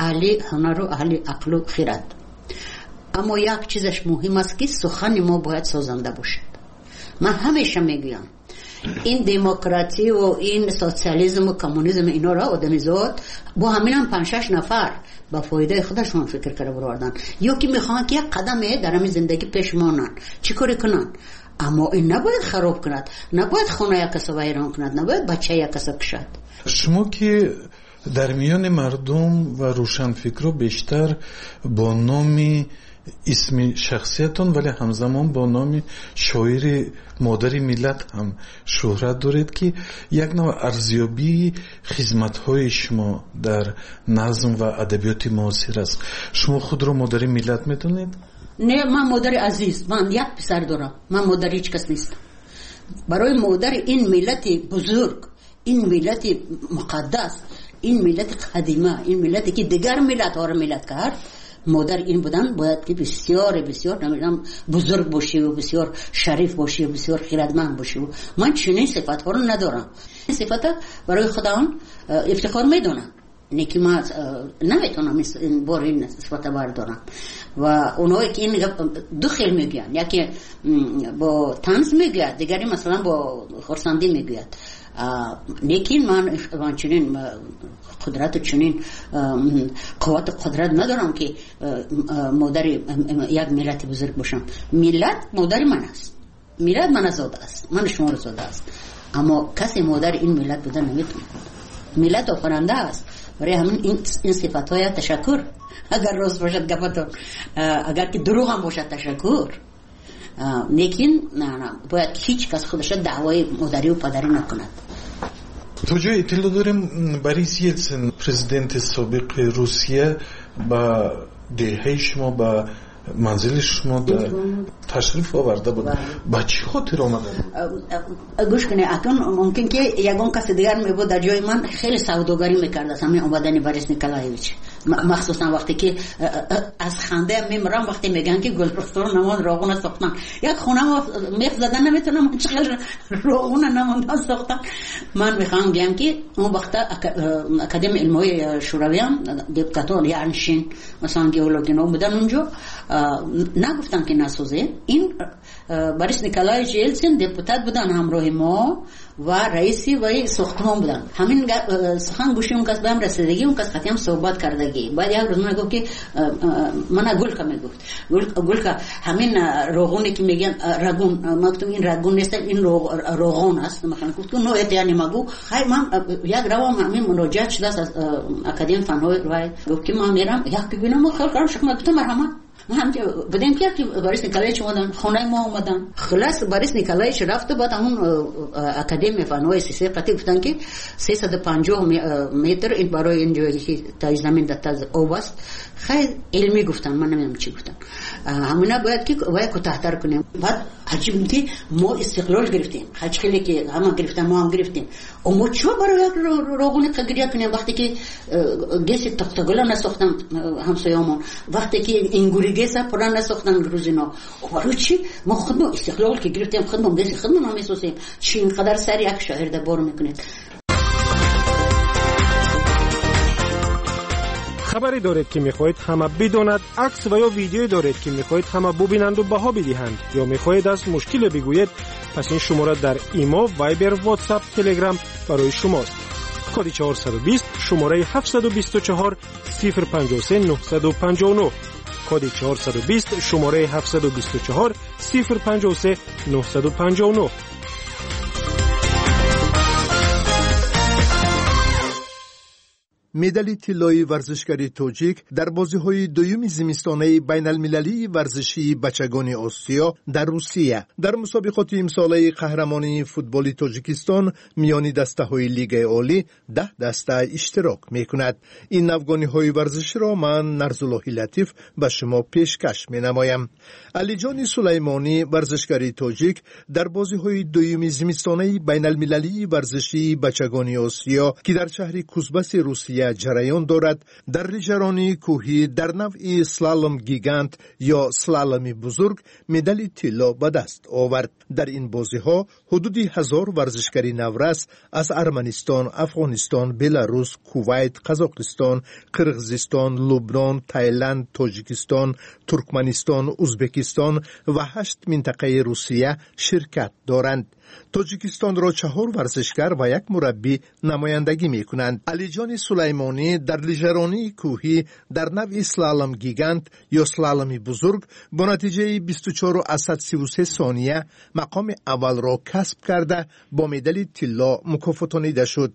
Аҳли ҳунару аҳли ақлу хирад. Аммо як чизаш муҳим аст, ки сухани мо бояд созанда бошад. Ман ҳамеша мегӯям, ин демократию ин социализму коммунизм, инора одамизод бо ҳаминам панҷ-шаш нафар ба фоидаи худашон фикр карда бароварданд, ё ки мехоҳанд, ки як қадаме дар ҳамин зиндагӣ пеш монанд, чӣ коре кунанд. Аммо ин набояд хароб кунад, набояд хона як каса вайрон кунад, набояд бача як каса кушад. Шумо ки дар миёни мардум ва рӯшанфикрҳо бештар бо номи исми шахсиятон, вале ҳамзамон бо номи шоири модари миллат ҳам шӯҳрат доред, ки як навъ арзёбии хизматҳои шумо дар назм ва адабиёти муосир аст. Шумо худро модари миллат медонед? Не, ман модари азиз, ман як писар дорам, ман модари ҳеҷ кас нестам. Барои модари ин миллати бузург, ин миллати муқаддас, ин миллати қадима, ин миллате ки дигар миллатҳоро миллат кард, модар ин будан бояд ки бисёр бисёр, намедонам, бузург бошиву бисёр шариф бошиву бисёр хирадманд бошиву. Ман чунин сифатҳоро надорам. Ин сифата барои худам ифтихор медонам, не ки ман наметавонам ин бор ин сифата бардорам. Ва онҳое ки ин гап ду хел мегӯянд, яке бо танз мегӯяд, дигаре масалан бо хурсандӣ мегӯяд. Лекин ман чунин қудрату чунин қуввату қудрат надорам, ки модари як миллати бузург бошам. Миллат модари ман аст, миллат мана зодааст, мана шуморо зодааст, аммо касе модари ин миллат буда наметавонад. Миллат офаранда аст. Барои ҳамин ин сифатҳоя ташаккур, агар рост бошад гапатон, агар ки дурӯғ ҳам бошад, ташаккур. Лекин бояд ҳеҷ кас худаша даъвои модарию падарӣ накунад. То ҷое иттилоъ дорем, Борис Елсин, президенти собиқи Русия, ба деҳаи шумо, ба манзили шумо ташриф оварда буд. Ба чӣ хотир омада буд? Гӯш кунед, акнун мумкин ки ягон каси дигар мебуд дар ҷои ман, хеле савдогарӣ мекард аз ҳамин омадани Борис Николаевич, махсусан вақте ки аз ханда мемирам, вақте мегӯянд, ки Гулрухсор намон роғуна сохтан. Як хона мех зада наметавонам, чӣ хел роғуна намондан сохтан. Ман мехоҳам гӯям, ки он вақта Академияи илмҳои Шӯравиам депутатон Яншин, масалан, геологино будан унҷо, нагуфтанд, ки насозем. Ин Борис Николаевич Елсин депутат будан ҳамроҳи мо ва раиси ваи сохтмон буданд. Ҳамин сухан гӯши он кас ба ҳам расидагӣ, он кас қатъиам суҳбат кардагӣ. Баъд як рӯз ман гуфт, ки мана Гулка мегуфт, Гулка, ҳамин роғуне ки мегӯянд рагун. Ман гуфтам, ин рагун нест, ин роғон аст. Гуфт, ну это я не могу. Хай, ман як равам, ҳамин муроҷиат шудааст аз Академияи фанҳои вай. Гуфт, ки ман мерам, як бибинам. Гуфтам, марҳамат. Будем ки Борис Николаевич омадан, хонаи мо омадан. Хулас, Борис Николаевич рафту, баъд ҳамун Академия фанҳои СССР қатъи гуфтанд, ки 350 метр ин барои ин ҷое ки таи замин дар таз об аст. Хай, илмӣ гуфтанд, ман намедонам чӣ гуфтанд, ҳамина бояд ки вай кӯтаҳтар кунем. Баъд аҷиб ки мо истиқлол гирифтем, ҳач хеле ки ҳама гирифтан, мо ҳам гирифтем. Мо чо барои як роғуни гиря кунем, вақте ки ГЭСи Тохтагула насохтан ҳамсоёмон, вақте ки Ингури ГЭСа пурра насохтан грузино? Барои чӣ мо худмо истиқлол ки гирифтем, худмо ГЭСи худмон месозем? Чӣ инқадар сари як шоирда бор мекунед? Хабаре доред, ки мехоҳед ҳама бидонад, акс ва ё видеое доред, ки мехоҳед ҳама бубинанду баҳо бидиҳанд, ё мехоҳед аз мушкиле бигӯед, пас ин шумора дар Имо, Вайбер, Ватсап, Телеграм барои шумост. Коди 420, шумораи 724 053 959. Коди 420, шумораи 724 053 959. Медали тиллои варзишгари тоҷик дар бозиҳои дуюми зимистонаи байналмилалии варзишии бачагони Осиё дар Русия. Дар мусобиқоти имсолаи қаҳрамонии футболи Тоҷикистон миёни дастаҳои Лигаи олӣ 10 даста иштирок мекунад. Ин навгониҳои варзиширо ман, Нарзуллоҳи Латиф, ба шумо пешкаш менамоям. Алиҷони Сулаймонӣ, варзишгари тоҷик, дар бозиҳои дуюми зимистонаи байналмилалии варзишии бачагони Осиё, ки дар шаҳри Кузбаси Русия Русия ҷараён дорад, дар лижаронии кӯҳӣ дар навъи слалом гигант ё слаломи бузург медали тилло ба даст овард. Дар ин бозиҳо ҳудуди 1000 варзишгари наврас аз Арманистон, Афғонистон, Беларус, Кувайт, Қазоқистон, Қирғизистон, Лубнон, Тайланд, Тоҷикистон, Туркманистон, Узбекистон ва 8 минтақаи Русия ширкат доранд. Тоҷикистонро 4 варзишгар ва як мураббӣ намояндагӣ мекунанд. Алиҷони Сулаймонӣ дар лижаронии кӯҳӣ дар навъи слалом гигант ё слаломи бузург бо натиҷаи 24,33 сония мақоми аввалро касб карда, бо медали тилло мукофотонида шуд.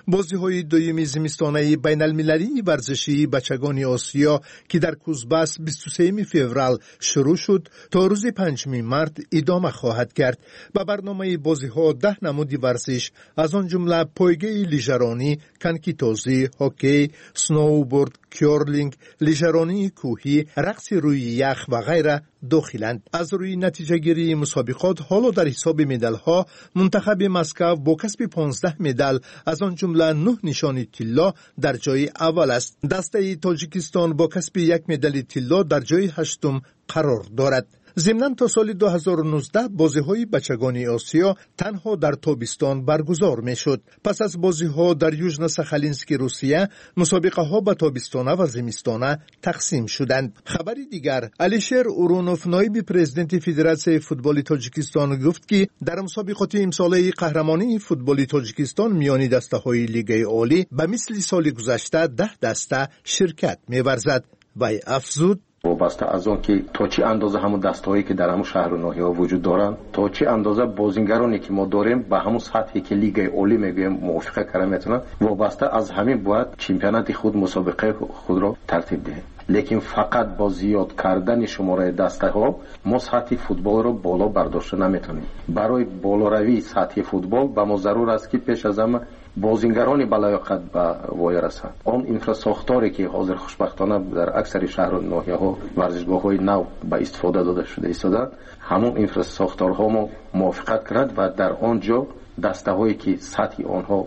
Бозиҳои дуюми зимистонаи байналмилалии варзишии бачагони Осиё, ки дар Кузбасс 23 феврал шурӯъ шуд, то рӯзи 5 март идома хоҳад кард. Ба барномаи бозиҳо 10 намуди варзиш, аз он ҷумла пойгаи лижаронӣ, конкитозӣ, ҳоккей, сноуборд, кёрлинг, лижаронии кӯҳӣ, рақси рӯи ях ва ғайра дохиланд. Аз рӯи натиҷагирии мусобиқот ҳоло дар ҳисоби медалҳо мунтахаби Москав бо касби 15 медал, аз он ҷумла 9 нишони тилло, дар ҷои аввал аст. Дастаи Тоҷикистон бо касби як медали тилло дар ҷои ҳаштум қарор дорад. Зимнан то соли 2019 бозиҳои бачагони Осиё танҳо дар тобистон баргузор мешуд. Пас аз бозиҳо дар Южно-Сахалински Русия мусобиқаҳо ба тобистона ва зимистона тақсим шуданд. Хабари дигар: Алишер Урунов, ноиби президенти Федератсияи футболи Тоҷикистон, гуфт, ки дар мусобиқоти имсолаи қаҳрамонии футболи Тоҷикистон миёни дастаҳои Лигаи Олӣ ба мисли соли гузашта 10 даста ширкат меварзад. Вай афзуд: Вобаста аз он ки то чӣ андоза ҳамун дастаҳое, ки дар ҳамун шаҳру ноҳияҳо вуҷуд доранд, то чӣ андоза бозингароне, ки мо дорем, ба ҳамун сатҳе, ки Лигаи Олӣ мегӯем, мувофиқа карда метавонанд, вобаста аз ҳамин бояд чемпионати худ, мусобиқаи худро тартиб диҳем. Лекин фақат бо зиёд кардани шумораи дастаҳо мо сатҳи футболро боло бардошта наметавонем. Барои болоравии сатҳи футбол ба мо зарур аст, ки пеш аз ҳама бозингарони балаёқат ба воя расанд. Он инфрасохторе, ки ҳозир хушбахтона дар аксари шаҳру ноҳияҳо варзишгоҳҳои нав ба истифода дода шуда истодаанд, ҳамон инфрасохторҳо мо мувофиқат кунад ва дар он ҷо дастаҳое, ки сатҳи онҳо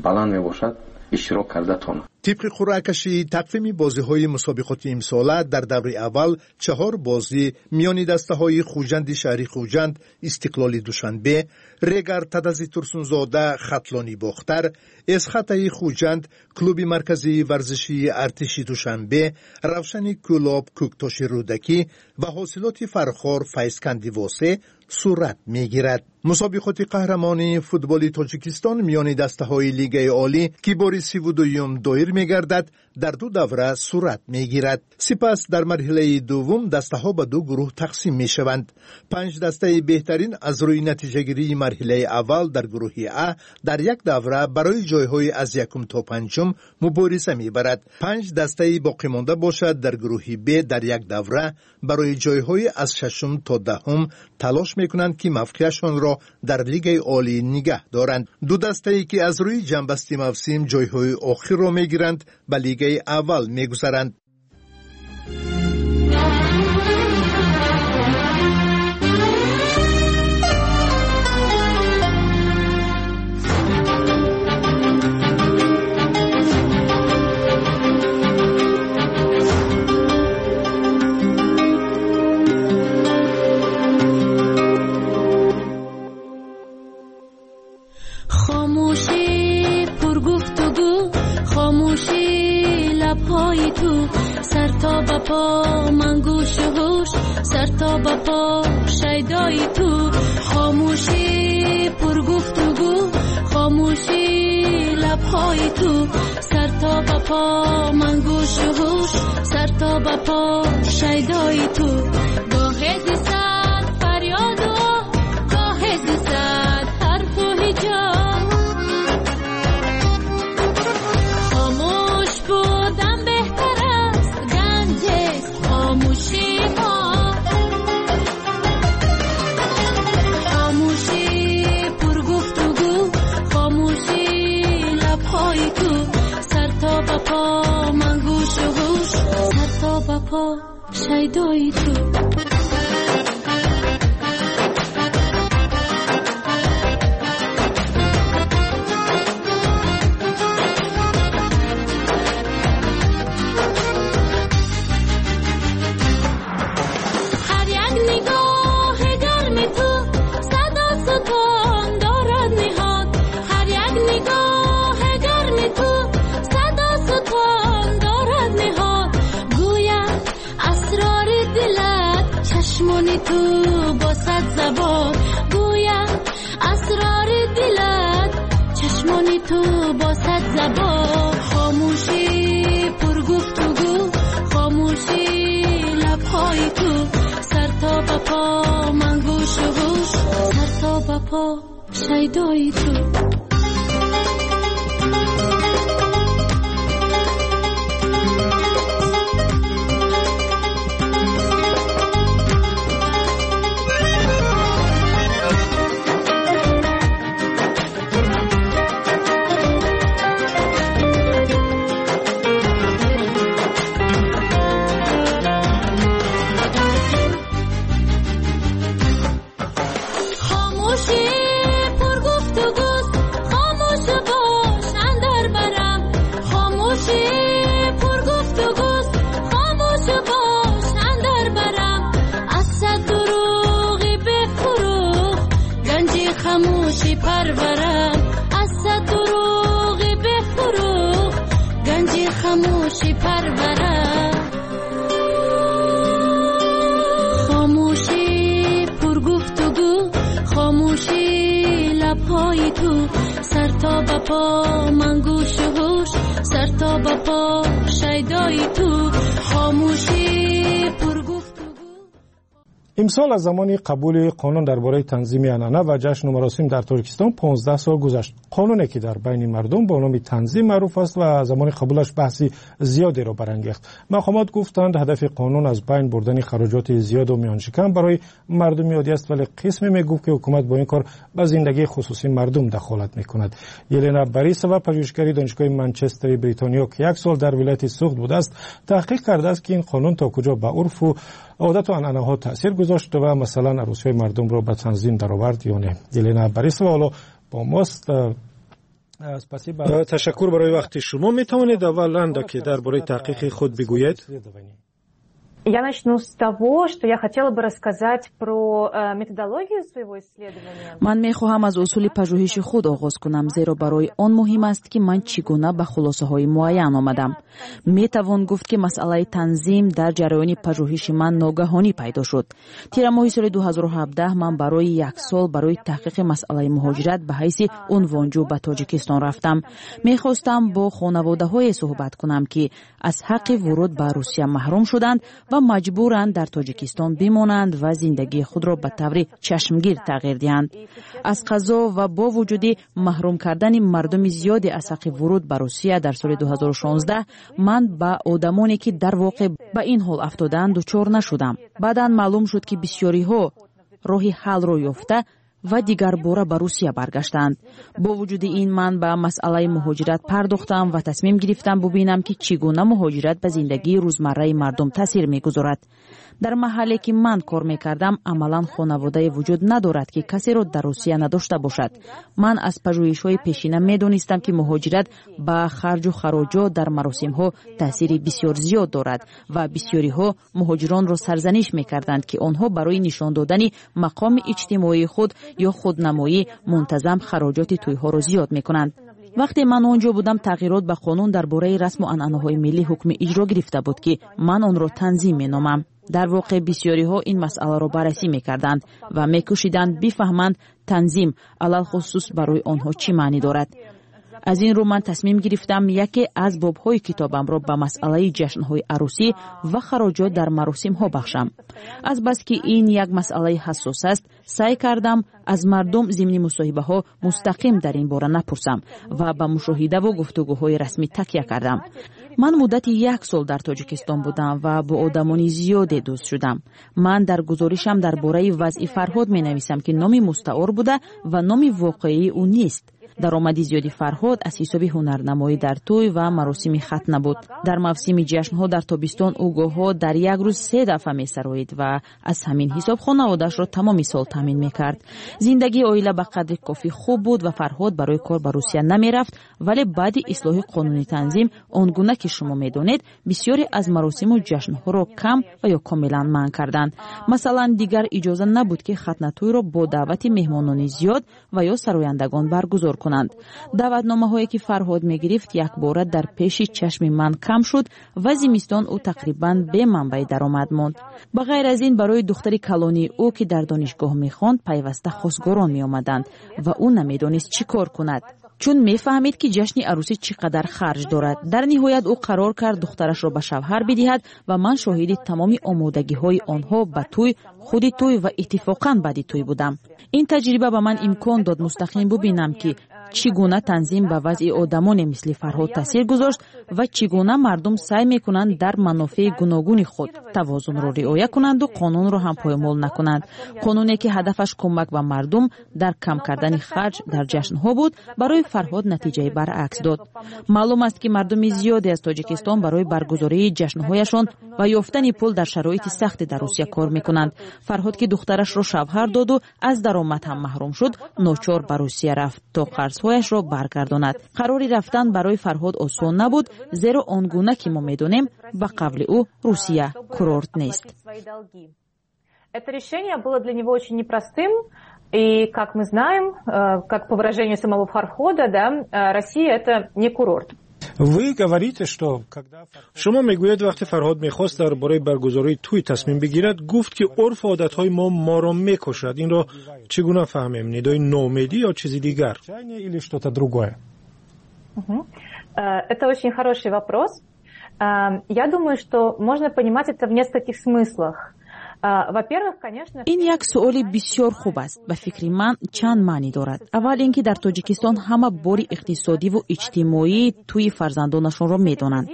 баланд мебошад, иштирок карда тонанд. Тибқи қуръакашии тақвими бозиҳои мусобиқоти имсола, дар даври аввал 4 бозӣ миёни дастаҳои Хуҷанди шаҳри Хуҷанд, Истиқлоли Душанбе, Регар Тадази Турсунзода, Хатлони Бохтар, Эсхатаи Хуҷанд, клуби марказии варзишии артиши Душанбе, Равшани Кӯлоб, Кӯктоши Рӯдакӣ ва Ҳосилоти Фархор, Файзканди Восе сурат мегирад. Мусобиқоти қаҳрамонии футболи Тоҷикистон миёни дастаҳои Лигаи Олӣ, ки бори 32-юм доир мегардад, дар ду давра сурат мегирад. Сипас дар марҳилаи дуввум дастаҳо ба ду гурӯҳ тақсим мешаванд. 5 дастаи беҳтарин аз рӯи натиҷагирии марҳилаи аввал дар гурӯҳи А дар як давра барои ҷойҳои аз якум то панҷум мубориза мебарад. 5 дастаи боқимонда бошад, дар гурӯҳи Б дар як давра барои ҷойҳои аз шашум то 10-ум талош мекунанд, ки мавқеашонро дар Лигаи Олӣ нигаҳ доранд. Ду дастае, ки аз рӯи ҷамъбасти мавсим ҷойҳои охирро мегиранд, ба Лигаи аввал мегузаранд. Хомӯшӣ пургуфтугӯ, хомӯшӣ лабҳои ту, сар то ба по ман гӯшу ҳуш, сар то ба по шайдои ту. Хомӯшӣ пургуфтугӯ, хомӯшӣ лабҳои ту, сар то ба по ман гӯшу ҳуш, сар то ба по шайдои ту. Гоҳе зи сад фарёду оҳ, гоҳе зи сад ҳарфу ҳиҷо. Хомӯш будан беҳтар аст, ганҷест хомӯшии мо. Хомӯшӣ пургуфтугӯ, хомӯшӣ лабҳои ту, сар то ба по ман гӯшу ҳуш, сар то ба по шайдои ту. زبان. خاموشی پر گفتگو، خاموشی لبهای تو، سر تا به پا من گوش و هوش، سر تا به پا شیدای تو. خاموشی پرورم، از صد دروغ بفروغ گنج خاموشی پرورم. خاموشی پر گفتگو، خاموشی لبهای تو، سر تا به پا من گوش و هوش، سر تا به پا شیدای تو. خاموشی پر گفتگو. Имсол аз замони қабули қонун дар бораи танзими анъана ва ҷашну маросим дар Тоҷикистон 15 сол гузашт. Қонуне ки дар байни мардум бо номи танзим маъруф аст ва замони қабулаш баҳси зиёдеро барангехт. Мақомот гуфтанд, ҳадафи қонун аз байн бурдани хароҷоти зиёду миёншикан барои мардуми оддӣ аст, вале қисме мегуфт, ки ҳукумат бо ин кор ба зиндагии хусусии мардум дахолат мекунад. Елена Борисова, пажӯҳишгари Донишгоҳи Манчестери Бритониё, ки як сол дар вилояти Суғд будааст, таҳқиқ кардааст, ки ин қонун то куҷо ба урфу одату анъанаҳо таъсир гузошт ва масалан арӯсиҳои мардумро ба танзим даровард ё не. Елена Борисова ҳоло бо мост. Ташаккур барои вақти шумо. Метавонед аввал андаке дар бораи таҳқиқи худ бигӯед? Я начну с того, что я хотела бы рассказать про методологию своего исследования. Ман мехоҳам аз усули пажӯҳиши худ оғоз кунам, зеро барои он муҳим аст, ки ман чӣ гуна ба хулосаҳои муайян омадам. Метавон гуфт, ки масъалаи танзим дар ҷараёни пажӯҳиши ман ногаҳонӣ пайдо шуд. Тирамоҳи соли 2017 ман барои як сол барои таҳқиқи масъалаи муҳоҷират ба ҳайси унвонҷӯ ба Тоҷикистон рафтам. Мехостам бо хонаводаҳое суҳбат кунам, ки аз ҳаққи вуруд ба Русия маҳрум шуданд ва маҷбуранд дар Тоҷикистон бимонанд ва зиндагии худро ба таври чашмгир тағйир диҳанд. Аз қазо ва бо вуҷуди маҳрум кардани мардуми зиёде аз ҳаққи вуруд ба Русия дар соли 2016, ман ба одамоне, ки дар воқеъ ба ин ҳол афтодаанд, дучор нашудам. Баъдан маълум шуд, ки бисёриҳо роҳи ҳаллро ёфта ва дигарбора ба Русия баргаштанд. Бо вуҷуди ин ман ба масъалаи муҳоҷират пардохтам ва тасмим гирифтам бубинам, ки чӣ гуна муҳоҷират ба зиндагии рӯзмарраи мардум таъсир мегузорад. Дар маҳалле, ки ман кор мекардам, амалан хонаводае вуҷуд надорад, ки касеро дар Русия надошта бошад. Ман аз пажӯҳишҳои пешина медонистам, ки муҳоҷират ба харҷу хароҷот дар маросимҳо таъсири бисёр зиёд дорад ва бисёриҳо муҳоҷиронро сарзаниш мекарданд, ки онҳо барои нишон додани мақоми иҷтимоии худ ё худнамоӣ мунтазам хароҷоти тӯйҳоро зиёд мекунанд. Вақте ман он ҷо будам, тағйирот ба қонун дар бораи расму анъанаҳои миллӣ ҳукми иҷро гирифта буд, ки ман онро танзим меномам. Дар воқеъ бисёриҳо ин масъаларо баррасӣ мекарданд ва мекӯшиданд бифаҳманд, танзим алалхусус барои онҳо чӣ маънӣ дорад. Аз ин рӯ ман тасмим гирифтам яке аз бобҳои китобамро ба масъалаи ҷашнҳои арӯсӣ ва хароҷот дар маросимҳо бахшам. Азбаски ин як масъалаи ҳассос аст, саъй кардам аз мардум зимни мусоҳибаҳо мустақим дар ин бора напурсам ва ба мушоҳидаву гуфтугӯҳои расмӣ такя кардам. Ман муддати як сол дар Тоҷикистон будам ва бо одамони зиёде дӯст шудам. Ман дар гузоришам дар бораи вазъи Фарҳод менависам, ки номи мустаор буда ва номи воқеии ӯ нест. Даромади зиёди Фарҳод аз ҳисоби ҳунарнамоӣ дар тӯй ва маросими хатна буд. Дар мавсими ҷашнҳо дар тобистон ӯ гоҳҳо дар як рӯз 3 дафъа месароид ва аз ҳамин ҳисоб хонаводаашро тамоми сол таъмин мекард. Зиндагии оила ба қадри кофӣ хуб буд ва Фарҳод барои кор ба Русия намерафт, вале баъди ислоҳи қонуни танзим, он гуна ки шумо медонед, бисёре аз маросиму ҷашнҳоро кам ва ё комилан манъ карданд. Масалан, дигар иҷоза набуд, ки хатнатӯйро бо даъвати меҳмонони зиёд ва ё сарояндагон баргузор кунанд. Даъватномаҳое, ки Фарҳод мегирифт, якбора дар пеши чашми ман кам шуд ва зимистон ӯ тақрибан бе манбаи даромад монд. Ба ғайр аз ин, барои духтари калонии ӯ, ки дар донишгоҳ мехонд, пайваста хосгорон меомаданд ва ӯ намедонист чӣ кор кунад. Чун мефаҳмид, ки ҷашни арӯсӣ чӣ қадар харҷ дорад. Дар ниҳоят ӯ қарор кард духтарашро ба шавҳар бидиҳад ва ман шоҳиди тамоми омодагиҳои онҳо ба тӯй, худи тӯй ва иттифоқан баъди тӯй будам. Ин таҷриба ба ман имкон дод мустақим бубинам, ки чӣ гуна танзим ба вазъи одамоне мисли Фарҳод таъсир гузошт ва чӣ гуна мардум саъй мекунанд дар манофеи гуногуни худ тавозунро риоя кунанду қонунро ҳам поймол накунанд. Қонуне, ки ҳадафаш кӯмак ба мардум дар кам кардани харҷ дар ҷашнҳо буд, барои Фарҳод натиҷаи баръакс дод. Маълум аст, ки мардуми зиёде аз Тоҷикистон барои баргузории ҷашнҳояшон ва ёфтани пул дар шароити сахте дар Русия кор мекунанд. Фарҳод, ки духтарашро шавҳар доду аз даромад ҳам маҳрум шуд, ночор ба Русия рафт, то қарзҳояшро баргардонад. Қарори рафтан барои Фарҳод осон набуд, зеро он гуна ки мо медонем, ба қавли ӯ, Русия курорт нест. Это решение было для него очень непростым. И, как мы знаем, как по выражению самого Фархода, да, Россия – это не курорт. Вы говорите, что когда шумо мегӯед, вақте Фарҳод мехост дар бораи баргузории тӯй тасмим бигирад, гуфт, ки урфу одатҳои мо моро мекушад. Инро чӣ гуна фаҳмем? Нидои ноумедӣ ё чизи дигар или что-то другое? Это очень хороший вопрос. Я думаю, что можно понимать это в нескольких смыслах. Ин як суоли бисёр хуб аст. Ба фикри ман, чанд маънӣ дорад. Аввал ин ки дар Тоҷикистон ҳама бори иқтисодиву иҷтимоии тӯи фарзандонашонро медонанд.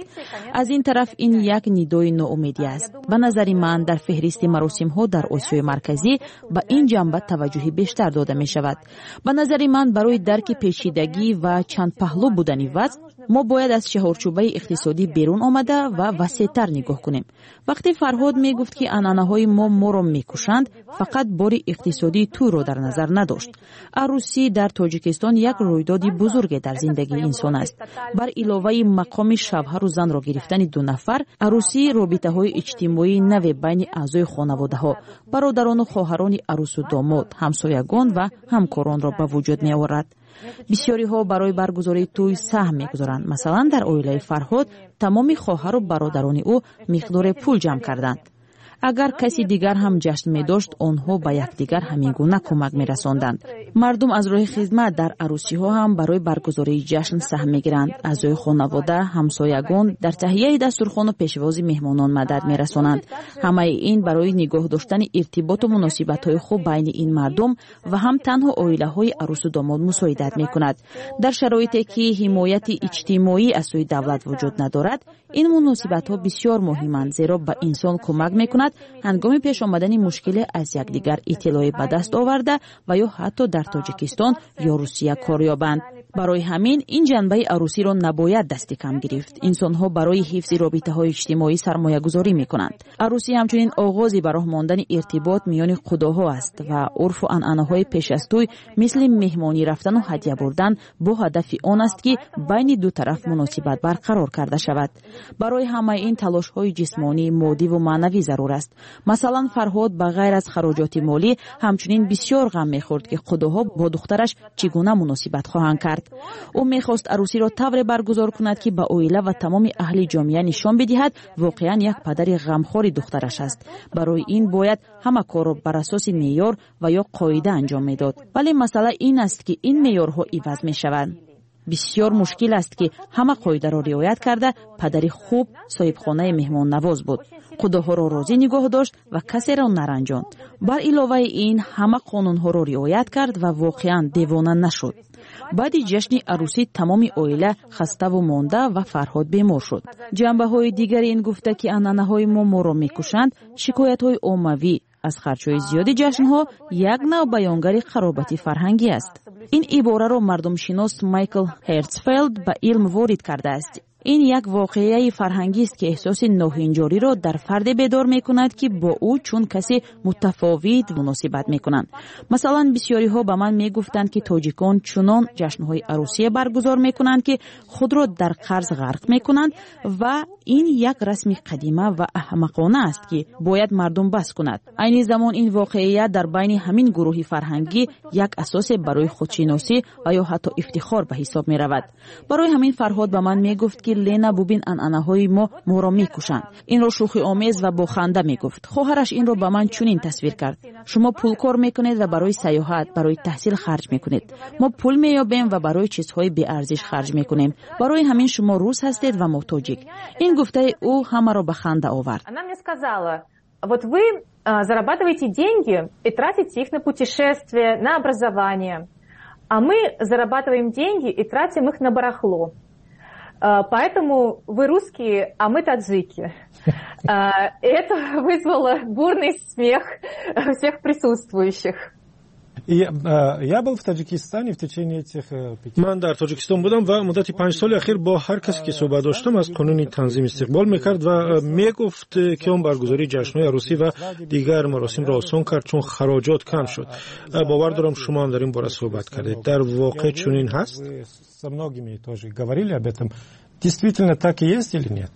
Аз ин тараф, ин як нидои ноумедӣ аст. Ба назари ман, дар феҳристи маросимҳо дар Осиёи Марказӣ ба ин ҷанба таваҷҷӯҳи бештар дода мешавад. Ба назари ман, барои дарки печидагӣ ва чандпаҳлӯ будани вазъ мо бояд аз чаҳорчӯбаи иқтисодӣ берун омада ва васеътар нигоҳ кунем. Вақте Фарҳод мегуфт, ки анъанаҳои мо моро мекушанд, фақат бори иқтисодии тӯйро дар назар надошт. Арӯсӣ дар Тоҷикистон як рӯйдоди бузурге дар зиндагии инсон аст. Бар иловаи мақоми шавҳару занро гирифтани ду нафар, арӯсӣ робитаҳои иҷтимоии наве байни аъзои хонаводаҳо, бародарону хоҳарони арӯсу домод, ҳамсоягон ва ҳамкоронро ба вуҷуд меорад. Бисёриҳо барои баргузории тӯй саҳм мегузоранд. Масалан, дар оилаи Фарҳод тамоми хоҳару бародарони ӯ миқдоре пул ҷамъ карданд. Агар каси дигар ҳам ҷашн медошт, онҳо ба якдигар ҳамин гуна кӯмак мерасонданд. Мардум аз роҳи хизмат дар арӯсиҳо ҳам барои баргузории ҷашн саҳм мегиранд. Аъзои хонавода, ҳамсоягон дар таҳияи дастурхону пешвози меҳмонон мадад мерасонанд. Ҳамаи ин барои нигоҳ доштани иртиботу муносибатҳои хуб байни ин мардум ва ҳам танҳо оилаҳои арӯсу домод мусоидат мекунад. Дар шароите ки ҳимояти иҷтимоӣ аз сӯи давлат вуҷуд надорад, ин муносибатҳо бисёр муҳиманд, зеро ба инсон кӯмак мекунад ҳангоми пеш омадани мушкиле аз якдигар иттилоъе ба даст оварда ва ё ҳатто дар Тоҷикистон ё Русия кор ёбанд. Барои ҳамин ин ҷанбаи арӯсиро набояд дасти кам гирифт. Инсонҳо барои ҳифзи робитаҳои иҷтимоӣ сармоягузорӣ мекунанд. Арӯсӣ ҳамчунин оғози ба роҳ мондани иртибот миёни қудоҳо аст ва урфу анъанаҳои пеш аз тӯй, мисли меҳмонӣ рафтану ҳадя бурдан, бо ҳадафи он аст, ки байни ду тараф муносибат барқарор карда шавад. Барои ҳамаи ин талошҳои ҷисмонӣ, моддиву маънавӣ зарур аст. Масалан, Фарҳод ба ғайр аз хароҷоти молӣ ҳамчунин бисёр ғам мехӯрд, ки қудоҳо бо духтараш чӣ гуна муносибат хоҳанд кард. Ӯ мехост арӯсиро тавре баргузор кунад, ки ба оила ва тамоми аҳли ҷомеа нишон бидиҳад, воқеан як падари ғамхори духтараш аст. Барои ин бояд ҳама корро бар асоси меъёр ва ё қоида анҷом медод. Вале масъала ин аст, ки ин меъёрҳо иваз мешаванд. Бисёр мушкил аст, ки ҳама қоидаро риоят карда падари хуб, соҳибхонаи меҳмоннавоз буд, қудоҳоро розӣ нигоҳ дошт ва касеро наранҷонд. Бар иловаи ин, ҳама қонунҳоро риоят кард ва воқеан девона нашуд. Баъди ҷашни арӯсӣ тамоми оила хаставу монда ва Фарҳод бемор шуд. Ҷанбаҳои дигари ин гуфта, ки анъанаҳои мо моро мекушанд, шикоятҳои оммавӣ аз харҷҳои зиёди ҷашнҳо як нав баёнгари қаробати фарҳангӣ аст. Ин ибораро мардумшинос Майкл Ҳертсфелд ба илм ворид кардааст. Ин як воқеаи фарҳангист, ки эҳсоси ноҳинҷориро дар фарде бедор мекунад, ки бо ӯ чун касе мутафовит муносибат мекунанд. Масалан, бисёриҳо ба ман мегуфтанд, ки тоҷикон чунон ҷашнҳои арӯсие баргузор мекунанд, ки худро дар қарз ғарқ мекунанд ва ин як расми қадима ва аҳмақона аст, ки бояд мардум бас кунад. Айни замон ин воқеият дар байни ҳамин гурӯҳи фарҳангӣ як асосе барои худшиносӣ ва ё ҳатто ифтихор ба ҳисоб меравад. Барои ҳамин Фарҳод ба ман мегуфт, ки Лена, бубин, анъанаҳои мо моро мекушанд. Инро шӯхиомез ва бо ханда мегуфт. Хоҳараш инро ба ман чунин тасвир кард: шумо пул кор мекунед ва барои сайёҳат, барои таҳсил харҷ мекунед, мо пул меёбем ва барои чизҳои беарзиш харҷ мекунем. Барои ҳамин шумо рус ҳастед ва мо тоҷик. Ин гуфтаи ӯ ҳамаро ба ханда овард. Она мне сказала: вот вы зарабатываете деньги и тратите их на путешествия, на образование, а мы зарабатываем деньги и тратим их на барахло. Поэтому вы русские, а мы таджики. Это вызвало бурный смех всех присутствующих. Я был в Таджикистане в течение этих 5. Ман дар Тоҷикистон будам ва муддати 5 соли ахир бо ҳар касе ки суҳбат доштам, аз қонуни танзим истиқбол мекард ва мегуфт, ки он баргузории ҷашнҳои арӯсӣ ва дигар маросимро осон кард, чун хароҷот кам шуд. Бовар дорам, шумо ҳам дар ин бора суҳбат кардед. Дар воқеъ чунин ҳаст? Со многими тоже говорили об этом. Действительно так и есть или нет?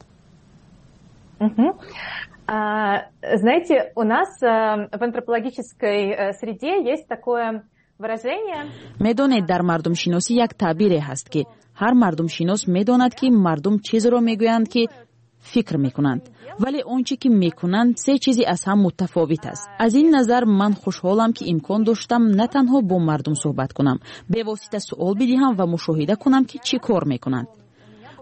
Знаете, у нас в антропологической среде есть такое выражение. Медонед, дар мардумшиносӣ як таъбире ҳаст, ки ҳар мардумшинос медонад, ки мардум чизеро мегӯянд, ки фикр мекунанд, вале он чӣ ки мекунанд, се чизи аз ҳам мутафовит аст. Аз ин назар ман хушҳолам, ки имкон доштам на танҳо бо мардум суҳбат кунам, бевосита суол бидиҳам ва мушоҳида кунам, ки чӣ кор мекунанд.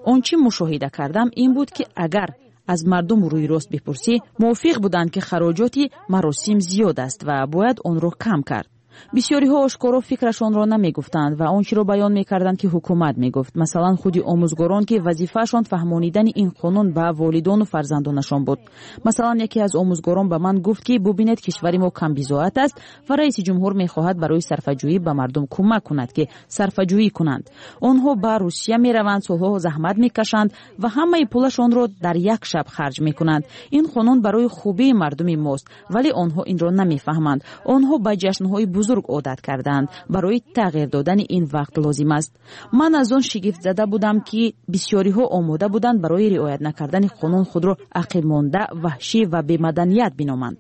Он чӣ мушоҳида кардам, ин буд, ки агар аз мардум рӯйрост бипурсӣ, мувофиқ буданд, ки хароҷоти маросим зиёд аст ва бояд онро кам кард. Бисёриҳо ошкоро фикрашонро намегуфтанд ва он чиро баён мекарданд, ки ҳукумат мегуфт. Масалан, худи омӯзгорон, ки вазифаашон фаҳмонидани ин қонун ба волидону фарзандонашон буд. Масалан, яке аз омӯзгорон ба ман гуфт, ки бубинед, кишвари мо камбизоат аст ва раиси ҷумҳур мехоҳад барои сарфаҷӯӣ ба мардум кӯмак кунад, ки сарфаҷӯӣ кунанд. Онҳо ба Русия мераванд, солҳо заҳмат мекашанд ва ҳамаи пулашонро дар як шаб харҷ мекунанд. Ин қонун барои хубии мардуми мост, вале онҳо инро намефаҳманд. Онҳо ба ҷашнҳои бузург одат кардаанд. Барои тағйир додани ин вақт лозим аст. Ман аз он шигифтзада будам, ки бисёриҳо омода буданд барои риоят накардани қонун худро ақибмонда, ваҳшӣ ва бемаданият биноманд.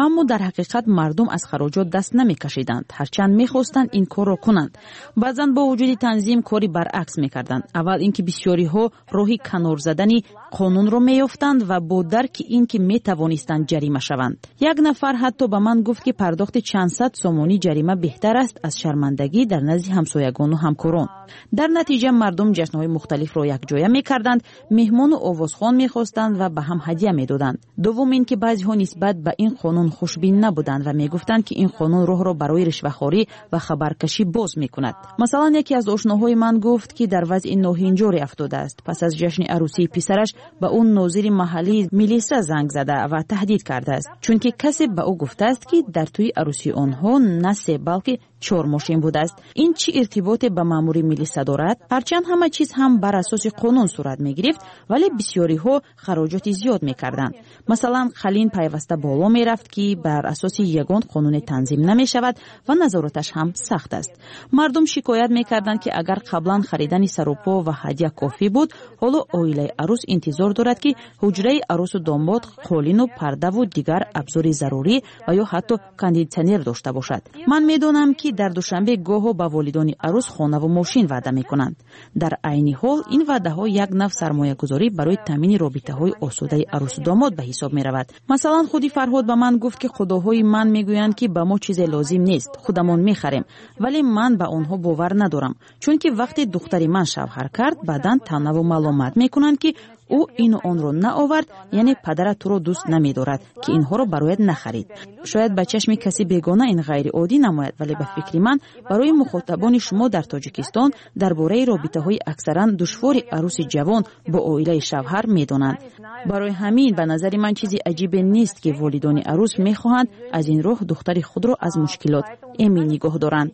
Аммо дар ҳақиқат мардум аз хароҷот даст намекашиданд, ҳарчанд мехостанд ин корро кунанд. Баъзан бо вуҷуди танзим кори баръакс мекарданд. Аввал ин ки бисёриҳо роҳи канор задани қонунро меёфтанд ва бо дарки ин ки метавонистанд ҷарима шаванд. Як нафар ҳатто ба ман гуфт, ки пардохти чанд сад сомонӣ ҷарима беҳтар аст аз шармандагӣ дар назди ҳамсоягону ҳамкорон. Дар натиҷа мардум ҷашнҳои мухталифро якҷоя мекарданд, меҳмону овозхон мехостанд ва ба ҳам ҳадя медоданд. Дуввум ин ки баъзеҳо нисбат ба ин қонун хушбин набуданд ва мегуфтанд, ки ин қонун роҳро барои ришвахорӣ ва хабаркашӣ боз мекунад. Масалан, яке аз ошноҳои ман гуфт, ки дар вазъи ноҳинҷоре афтодааст. Пас аз ҷашни арӯсии писараш ба ӯ нозири маҳаллии милиса занг зада ва таҳдид кардааст, чунки касе ба ӯ гуфтааст, ки дар тӯи арӯсии онҳо на се, балки чор мошин будааст. Ин чӣ иртиботе ба маъмури милиса дорад? Ҳарчанд ҳама чиз ҳам бар асоси қонун сурат мегирифт, вале бисёриҳо хароҷоти зиёд мекарданд. Масалан, қалин пайваста боло мерафт, ки бар асоси ягон қонуне танзим намешавад ва назораташ ҳам сахт аст. Мардум шикоят мекарданд, ки агар қаблан харидани сарупо ва ҳадя кофӣ буд, ҳоло оилаи арӯс интизор дорад, ки ҳуҷраи арӯсу домод қолину пардаву дигар абзори зарурӣ ва ё ҳатто кондитсионер дошта бошад. Ман медонам, ки дар Душанбе гоҳо ба волидони арӯс хонаву мошин ваъда мекунанд. Дар айни ҳол ин ваъдаҳо як нав сармоягузорӣ барои таъмини робитаҳои осудаи арӯсу домод ба ҳисоб меравад. Масалан, худи Фарҳод ба ман гуфт, ки худоҳои ман мегӯянд, ки ба мо чизе лозим нест, худамон мехарем, вале ман ба онҳо бовар надорам, чунки вақте духтари ман шавҳар кард, баъдан таънаву маломат мекунанд, ки ӯ ину онро наовард, яъне падарат туро дӯст намедорад, ки инҳоро барояд нахарид. Шояд ба чашми каси бегона ин ғайриоддӣ намояд, вале ба фикри ман, барои мухотабони шумо дар Тоҷикистон дар бораи робитаҳои аксаран душвори арӯси ҷавон бо оилаи шавҳар медонанд. Барои ҳамин ба назари ман чизи аҷибе нест, ки волидони арӯс мехоҳанд аз ин роҳ духтари худро аз мушкилот эмин нигоҳ доранд.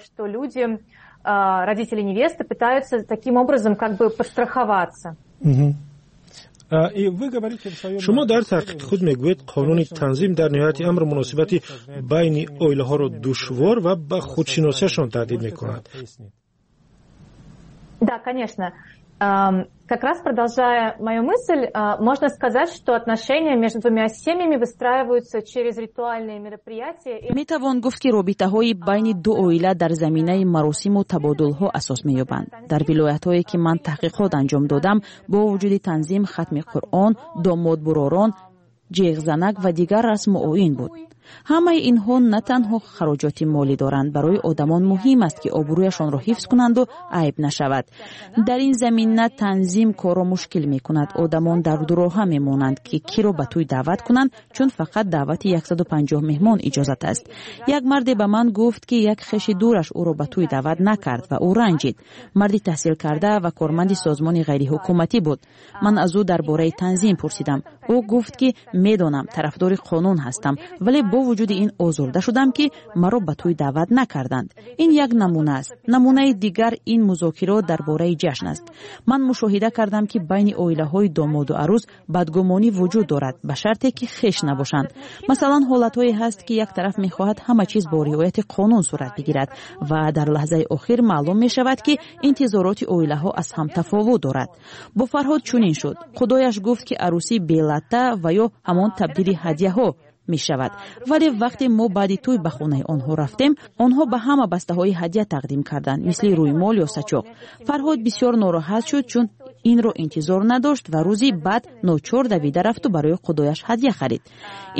Что люди, родители невесты, пытаются таким образом как бы подстраховаться. Шумо дар таҳқиқи худ мегӯед, қонуни танзим дар ниҳояти амр муносибати байни оилаҳоро душвор ва ба худшиносиашон таҳдид мекунад. Да, конечно. Как раз продолжая мою мысль, можно сказать, что отношения между двумя семьями выстраиваются через ритуальные мероприятия. Метавон гуфт, ки робитаҳои байни ду оила дар заминаи маросиму табодулҳо асос меёбанд. Дар вилоятҳое, ки ман таҳқиқот анҷом додам, бо вуҷуди танзим, хатми Қуръон, домодбуророн, ҷеғзанак ва дигар расму оин буд. Ҳамаи инҳо на танҳо хароҷоти молӣ доранд, барои одамон муҳим аст, ки обрӯяшонро ҳифз кунанду айб нашавад. Дар ин замина танзим корро мушкил мекунад. Одамон дар дуроҳа мемонанд, ки киро ба тӯй даъват кунанд, чун фақат даъвати 150 меҳмон иҷозат аст. Як марде ба ман гуфт, ки як хеши дураш ӯро ба тӯй даъват накард ва ӯ ранҷид. Марди таҳсилкарда ва корманди созмони ғайриҳукуматӣ буд. Ман аз ӯ дар бораи танзим пурсидам. Ӯ гуфт, ки медонам, тарафдори қонун ҳастам, вале бо вуҷуди ин озурда шудам, ки маро ба тӯй даъват накарданд. Ин як намуна аст. Намунаи дигар ин музокирот дар бораи ҷашн аст. Ман мушоҳида кардам, ки байни оилаҳои домоду арӯз бадгумонӣ вуҷуд дорад, ба шарте ки хеш набошанд. Масалан, ҳолатҳое ҳаст, ки як тараф мехоҳад ҳама чиз бо риояти қонун сурат бигирад ва дар лаҳзаи охир маълум мешавад, ки интизороти оилаҳо аз ҳам тафовут дорад. Бо Фарҳод чунин шуд. Худояш гуфт, ки арӯсӣ белатта ва ё ҳамон табдили ҳадяҳо мешавад, вале вақте мо баъди тӯй ба хонаи онҳо рафтем, онҳо ба ҳама бастаҳои ҳадя тақдим карданд, мисли рӯймол ё сачоқ. Фарҳод бисёр нороҳат шуд, чун инро интизор надошт ва рӯзи баъд ночор давида рафту барои худояш ҳадя харид.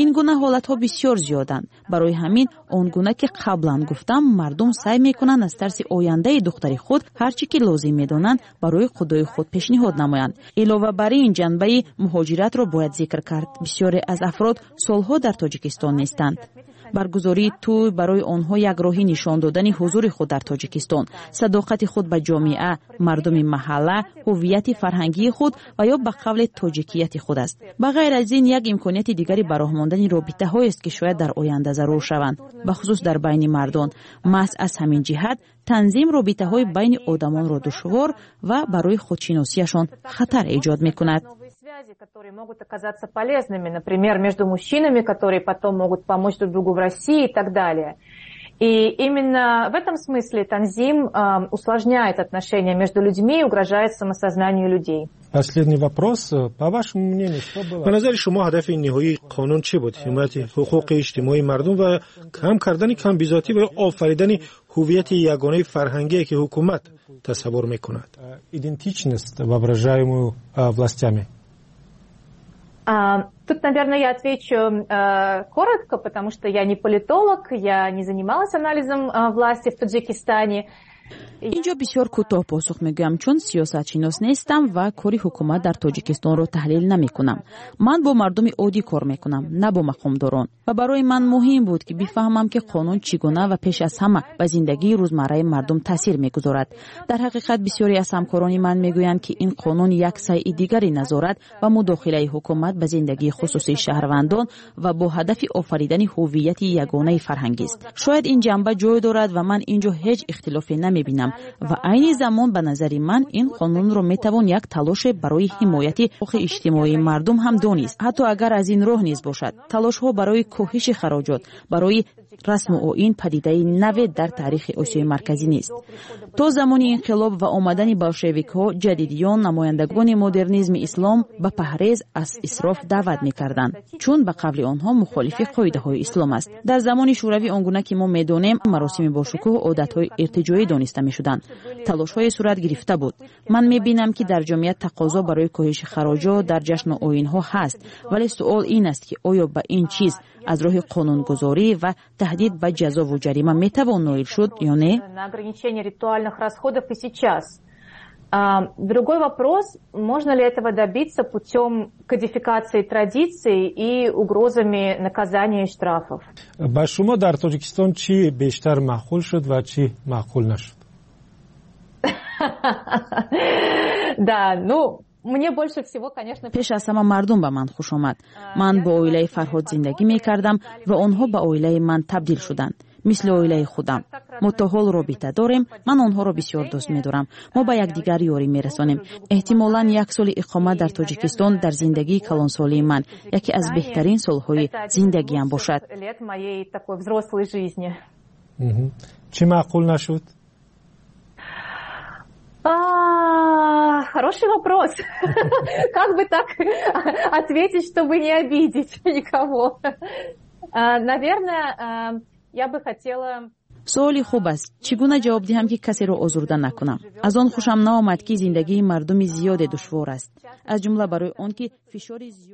Ин гуна ҳолатҳо бисёр зиёданд. Барои ҳамин, он гуна ки қаблан гуфтам, мардум саъй мекунанд аз тарси ояндаи духтари худ ҳар чӣ ки лозим медонанд, барои худои худ пешниҳод намоянд. Илова бар ин, ҷанбаи муҳоҷиратро бояд зикр кард. Бисёре аз афрод солҳо дар Тоҷикистон нестанд. Баргузории тӯй барои онҳо як роҳи нишон додани ҳузури худ дар Тоҷикистон, садоқати худ ба ҷомеа, мардуми маҳалла, ҳуввияти фарҳангии худ ва ё ба қавле тоҷикияти худ аст. Ба ғайр аз ин, як имконияти дигари ба роҳ мондани робитаҳоест, ки шояд дар оянда зарур шаванд, бахусус дар байни мардон. Маҳз аз ҳамин ҷиҳат танзим робитаҳои байни одамонро душвор ва барои худшиносиашон хатар эҷод мекунад. Связи, которые могут оказаться полезными, например, между мужчинами, которые потом могут помочь друг другу в России и так далее. И именно в этом смысле танзим усложняет отношения между людьми и угрожает самосознанию людей. Последний вопрос. По вашему мнению, что было? Ба назари шумо, ҳадафи ниҳоии қонун чӣ буд? Ҳимояти ҳуқуқи иҷтимоии мардум ва кам кардани камбизоатӣ ва офаридани ҳуввияти ягонаи фарҳангие, ки ҳукумат тасаввур мекунад? Идентичность, воображаемую властями. Тут, наверное, я отвечу коротко, потому что я не политолог, я не занималась анализом власти в Таджикистане. Инҷо бисёр кӯтоҳ посух мегӯям, чун сиёсатшинос нестам ва кори ҳукумат дар Тоҷикистонро таҳлил намекунам. Ман бо мардуми оддӣ кор мекунам, на бо мақомдорон, ва барои ман муҳим буд, ки бифаҳмам, ки қонун чӣ гуна ва пеш аз ҳама ба зиндагии рӯзмарраи мардум таъсир мегузорад. Дар ҳақиқат, бисёре аз ҳамкорони ман мегӯянд, ки ин қонун як сайъи дигари назорат ва мудохилаи ҳукумат ба зиндагии хусусии шаҳрвандон ва бо ҳадафи офаридани ҳуввияти ягонаи фарҳангист. Шояд ин ҷанба ҷой дорад ва ман ин ҷо ҳеҷ ихтилофе намебинам. Ва айни замон, ба назари ман, ин қонунро метавон як талоше барои ҳимояти ҳуқуқи иҷтимоии мардум ҳам донист, ҳатто агар аз ин роҳ низ бошад. Талошҳо барои коҳиши хароҷот барои расму оин падидаи наве дар таърихи Осиёи Марказӣ нест. То замони инқилоб ва омадани болшевикҳо, ҷадидиён, намояндагони модернизми ислом ба паҳрез аз исроф даъват мекарданд, чун ба қавли онҳо мухолифи қоидаҳои ислом аст. Дар замони Шӯравӣ, он гуна ки мо медонем, маросими бошукӯҳ одатҳои иртиҷоӣ дониста мешуданд. Талошҳое сурат гирифта буд. Ман мебинам, ки дар ҷомеа тақозо барои коҳиши хароҷот дар ҷашну оинҳо ҳаст, вале суол ин аст, ки оё ба ин чиз аз роҳи қонунгузорӣ ва таҳдид ба ҷазову ҷарима метавон ноил шуд ё не. На ограничение ритуальных расходов и сейчас. Другой вопрос, можно ли этого добиться путем кодификации традиций и угрозами наказания и штрафов. Ба шумо дар Тоҷикистон чӣ бештар маъқул шуд ва чӣ маъқул нашуд? Да, ну, мне больше всего, конечно. Пеш аз ҳама мардум ба ман хуш омад. Ман бо оилаи Фарҳод зиндагӣ мекардам ва онҳо ба оилаи ман табдил шуданд, мисли оилаи худам. Мо то ҳол робита дорем. Ман онҳоро бисёр дӯст медорам. Мо ба якдигар ёрӣ мерасонем. Эҳтимолан, як соли иқомат дар Тоҷикистон дар зиндагии калонсолии ман яке аз беҳтарин солҳои зиндагиам бошад. Лет моей такой взрослой жизни. Чӣ маъқул нашуд? Хороший вопрос. Как бы так ответить, чтобы не обидеть никого? Наверное, я бы хотела. Суоли хуб аст. Чӣ гуна ҷавоб диҳам, ки касеро озурда накунам? Аз он хушам наомад, ки зиндагии мардуми зиёде душвор аст, аз ҷумла барои он ки фишори зиёд